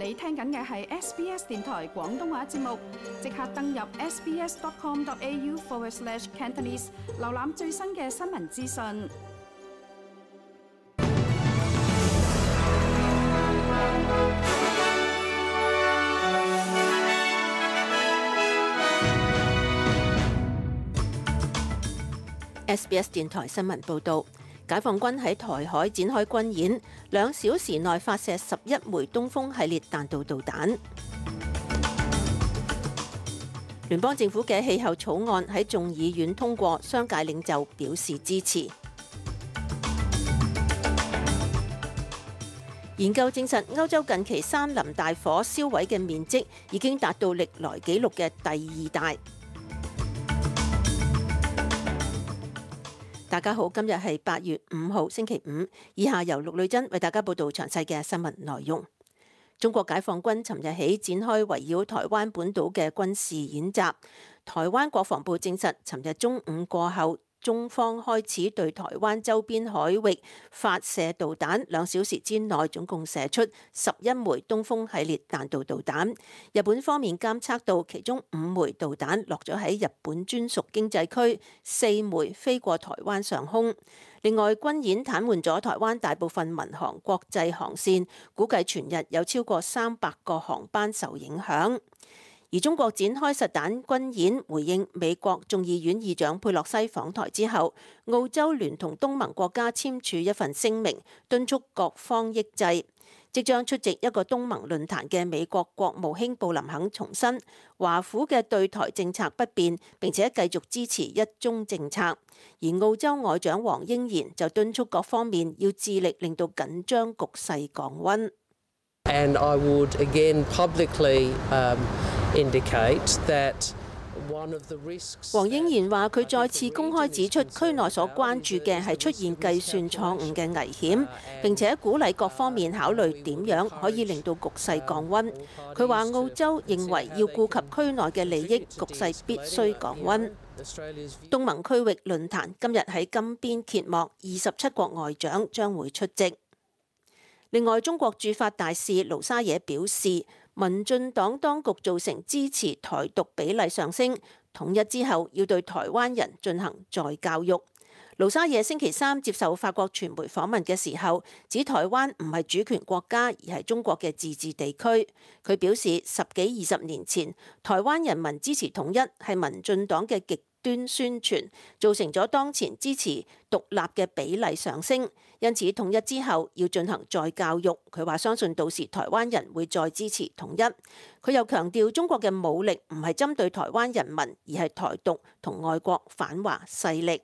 你聽緊嘅係 SBS 電台廣東話節目，即刻登入 sbs.com.au/Cantonese 瀏覽最新嘅新聞資訊。SBS 電台新聞報導，解放軍喺台海展開軍演，2小時內發射11枚東風系列彈道導彈。聯邦政府嘅氣候草案喺眾議院通過，商界領袖表示支持。研究證實，歐洲近期山林大火燒毀嘅面積已經達到歷來紀錄嘅第2大。大家好，今日係8月5號星期五，以下由陸女珍為大家報道詳細嘅新聞內容。中國解放軍尋日起展開圍繞台灣本島嘅軍事演習。台灣國防部證實，尋日中午過後，中方開始對台灣周邊海域發射導彈，2小時之內總共射出11枚東風系列彈道導彈。日本方面監測到其中5枚導彈落咗喺日本專屬經濟區，4枚飛過台灣上空。另外，軍演癱瘓咗台灣大部分民航國際航線，估計全日有超過300個航班受影響。而中國展開實彈軍演，回應美國眾議院議長佩洛西訪台之後，澳洲聯同東盟國家簽署一份聲明，敦促各方抑制。即將出席一個東盟論壇嘅美國國務卿布林肯重申，華府嘅對台政策不變，並且繼續支持一中政策。而澳洲外長黃英賢就敦促各方面要致力令到緊張局勢降溫。And I would again publicly indicate that one of the risks。黃英賢話：佢再次公開指出，區內所關注嘅係出現計算錯誤嘅危險，並且鼓勵各方面考慮點樣可以令到局勢降溫。佢話澳洲認為要顧及區內嘅利益，局勢必須降溫。東盟區域論壇今日喺金邊揭幕，27國外長將會出席。另外，中國駐法大使盧沙野表示，民進黨當局造成支持台獨比例上升，統一之後要對台灣人進行再教育。盧沙野星期三接受法國傳媒訪問嘅時候，指台灣唔係主權國家，而係中國嘅自治地區。佢表示，10幾20年前，台灣人民支持統一係民進黨嘅極端宣傳，造成咗當前支持獨立嘅比例上升，因此統一之後要進行再教育。佢話相信到時台灣人會再支持統一。佢又強調中國嘅武力唔係針對台灣人民，而係台獨同外國反華勢力。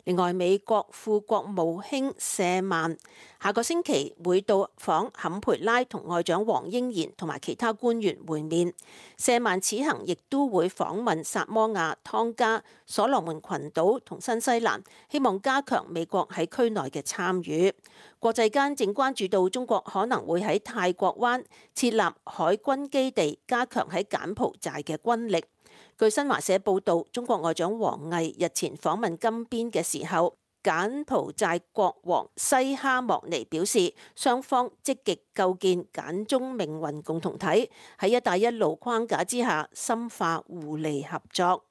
另外，美國副國務卿舍曼下個星期會到訪坎培拉，同外長黃英賢同埋其他官員會面。舍曼此行亦都會訪問薩摩亞、湯加、所羅門群島同新西蘭，希望加強美國喺區內嘅參與。國際間正關注到中國可能會喺泰國灣設立海軍基地，加強喺柬埔寨嘅軍力。據新華社報導，中國外長王毅日前訪問金邊嘅時候，柬埔寨國王西哈莫尼表示，雙方積極構建柬中命運共同體，喺一帶一路框架之下深化互利合作。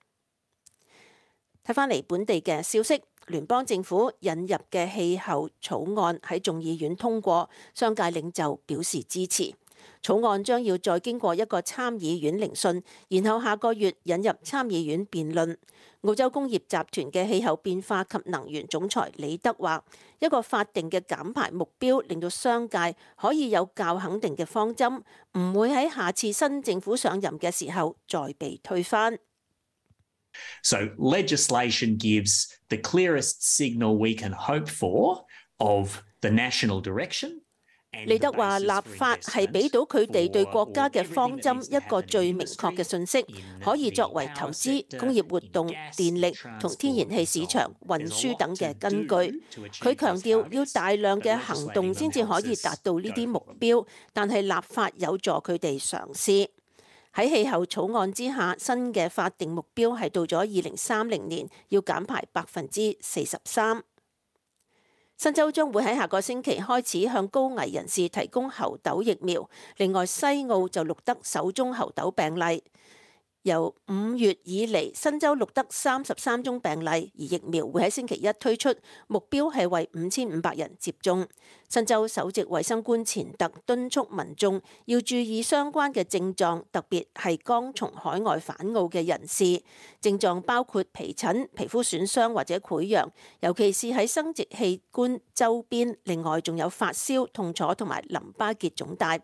睇返嚟本地嘅消息，聯邦政府引入嘅氣候草案喺眾議院通過，商界領袖表示支持。草案將要再經過一個參議院聆訊，然後下個月引入參議院辯論。澳洲工業集團嘅氣候變化及能源總裁李德話：一個法定嘅減排目標，令到商界可以有較肯定嘅方針，唔會喺下次新政府上任嘅時候再被推翻。So legislation gives the clearest signal we can hope for of the national direction。李德話：立法係俾到佢哋對國家嘅方針一個最明確嘅信息，可以作為投資、工業活動、電力同天然氣市場、運輸等嘅根據。佢強調要大量嘅行動先至可以達到呢啲目標，但係立法有助佢哋嘗試。喺氣候草案之下，新嘅法定目標係到咗2030年要減排43%。新州將會喺下個星期開始向高危人士提供猴痘疫苗。另外，西澳就錄得首宗猴痘病例。由5月以嚟，新州錄得33宗病例，而疫苗會喺星期一推出，目標係為5500人接種。新州首席衛生官錢特敦促民眾要注意相關嘅症狀，特別係剛從海外返澳嘅人士。症狀包括皮疹、皮膚損傷或者潰瘍，尤其是喺生殖器官周邊。另外仲有發燒、痛楚同埋淋巴結腫大。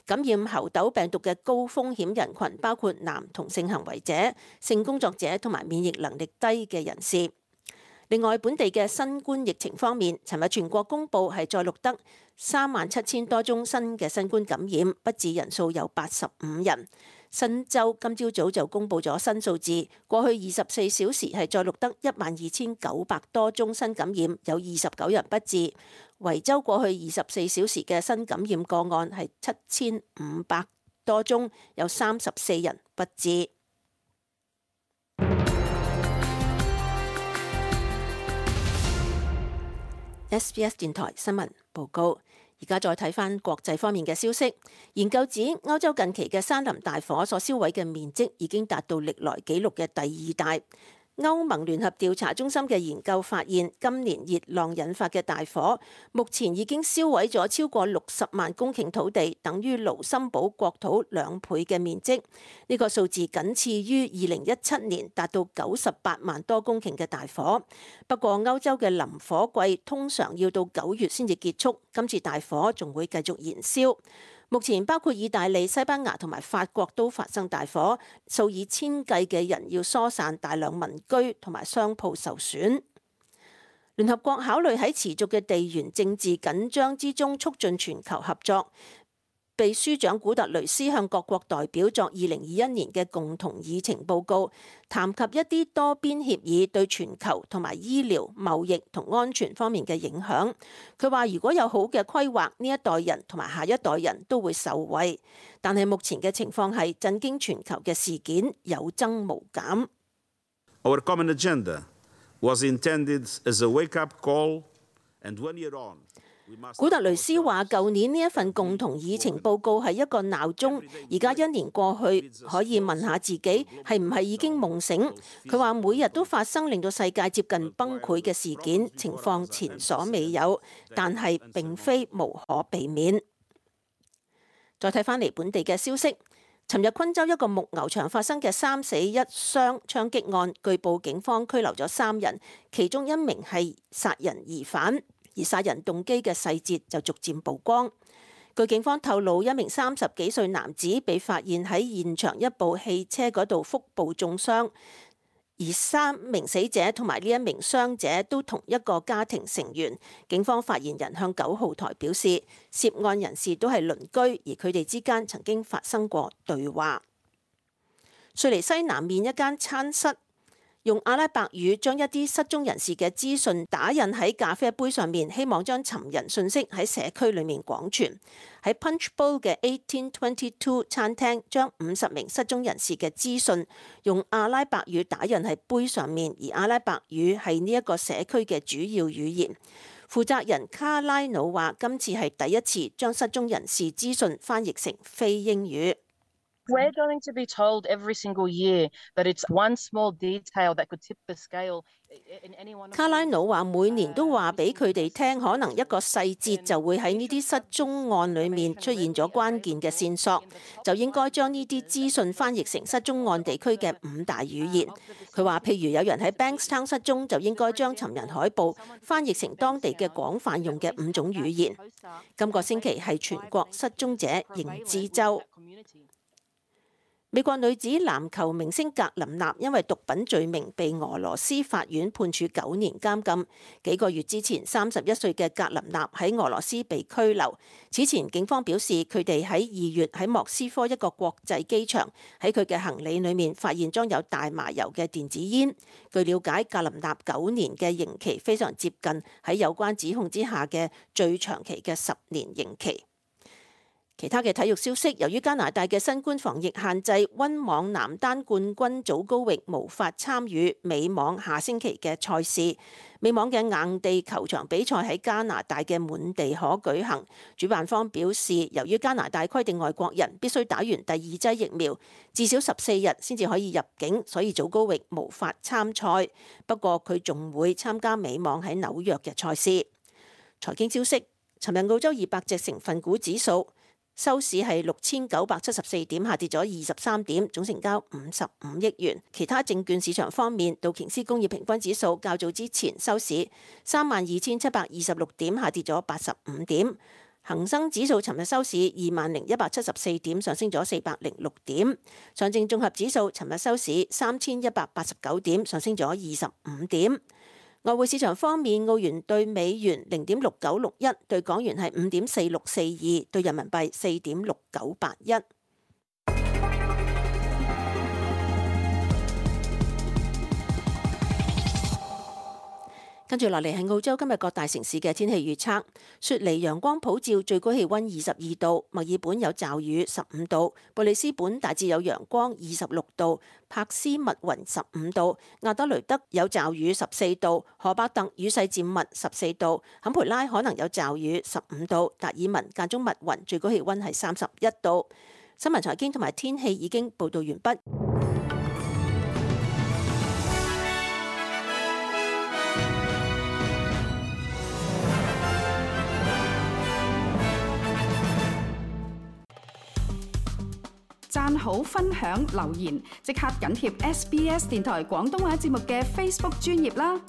感染猴痘病毒嘅高風險人群包括男同性行為者、性工作者同埋免疫能力低嘅人士。另外，本地嘅新冠疫情方面，尋日全國公佈係再錄得37000多宗新嘅新冠感染，不治人數有85人。新州今朝早就公佈咗新數字，過去24小時係再錄得12900多宗新感染，有29人不治。維州過去24小時嘅新感染個案係7500多宗，有34人不治。SBS 電台新聞報告。而家再睇返國際方面嘅消息，研究指歐洲近期嘅山林大火所燒毀嘅面積已經達到歷來紀錄嘅第2大。歐盟聯合調查中心嘅研究發現，今年熱浪引發嘅大火，目前已經燒毀咗超過60萬公頃土地，等於盧森堡國土2倍嘅面積。呢個數字僅次於2017年達到98萬多公頃嘅大火。不過歐洲嘅林火季通常要到9月先至結束，今次大火仲會繼續燃燒。目前包括意大利、西班牙同埋法國都發生大火，數以千計嘅人要疏散，大量民居同埋商鋪受損。聯合國考慮喺持續嘅地緣政治緊張之中促進全球合作。秘書長古特雷斯向各國代表作2021年嘅共同議程報告，談及一啲多邊協議對全球同埋醫療、貿易同安全方面嘅影響。佢話如果有好嘅規劃，呢一代人同埋下一代人都會受惠。但係目前嘅情況係震驚全球嘅事件有增無減。Our common agenda was intended as a wake-up call, and 1 year on.古特雷斯話：舊年呢一份共同議程報告係一個鬧鐘，而家1年過去，可以問下自己係唔係已經夢醒？佢話每日都發生令到世界接近崩潰嘅事件，情況前所未有，但係並非無可避免。再睇返嚟本地嘅消息，尋日昆州一個牧牛場發生嘅3死1傷槍擊案，據報警方拘留咗3人，其中1名係殺人疑犯。而殺人動機嘅細節就逐漸曝光。據警方透露，一名30幾歲男子被發現喺現場一部汽車嗰度腹部中傷，而3名死者同埋呢一名傷者都同一個家庭成員。警方發言人向9號台表示，涉案人士都係鄰居，而佢哋之間曾經發生過對話。瑞尼西南面一間餐室用阿拉伯語將一啲失蹤人士嘅資訊打印喺咖啡杯上面，希望將尋人訊息喺社區裏面廣傳。喺 Punch Bowl 嘅1822餐廳，將50名失蹤人士嘅資訊用阿拉伯語打印喺杯上面，而阿拉伯語係呢一個社區嘅主要語言。負責人卡拉努話：今次係第一次將失蹤人士資訊翻譯成非英語。We're going to be told every single year that it's one small detail that could tip the scale in any one of。卡拉努話：每年都話俾佢哋聽，可能一個細節就會喺呢啲失蹤案裡面出現咗關鍵嘅線索，就應該將呢啲資訊翻譯成失蹤案地區嘅5大語言。佢話：譬如有人喺 Bankstown 失蹤，就應該將尋人海報翻譯成當地嘅廣泛用嘅5種語言。今個星期係全國失蹤者認知週。美國女子籃球明星格林納因為毒品罪名被俄羅斯法院判處9年監禁。幾個月之前，31歲嘅格林納喺俄羅斯被拘留。此前警方表示，佢哋喺2月喺莫斯科一個國際機場喺佢嘅行李裏面發現裝有大麻油嘅電子煙。據了解，格林納9年嘅刑期非常接近喺有關指控之下嘅最長期嘅10年刑期。其他嘅體育消息，由於加拿大嘅新冠防疫限制，溫網男單冠軍祖高域無法參與美網下星期嘅賽事。美網嘅硬地球場比賽喺加拿大嘅滿地可舉行。主辦方表示，由於加拿大規定外國人必須打完第2劑疫苗，至少14日先至可以入境，所以祖高域無法參賽。不過佢仲會參加美網喺紐約嘅賽事。財經消息，尋日澳洲200隻成分股指數收市係6974點，下跌咗23點，總成交55億元。其他證券市場方面，道瓊斯工業平均指數較早之前收市32726點，下跌咗85點。恒生指數尋日收市20174點，上升咗406點。上證綜合指數尋日收市3189點，上升咗25點。外匯市場方面，澳元對美元0.6961，對港元係5.4642，對人民幣4.6981。跟住落嚟係澳洲今日各大城市嘅天氣預測。雪梨陽光普照，最高氣溫22度；墨爾本有驟雨15度；布里斯本大致有陽光26度；珀斯密雲15度；亞德雷德有驟雨14度；荷伯特雨勢漸密14度；坎培拉可能有驟雨15度；達爾文間中密雲，最高氣溫係31度。新聞財經同埋天氣已經報道完畢。讚好、分享、留言，即刻緊貼SBS 電台廣東話節目嘅 Facebook 專頁啦！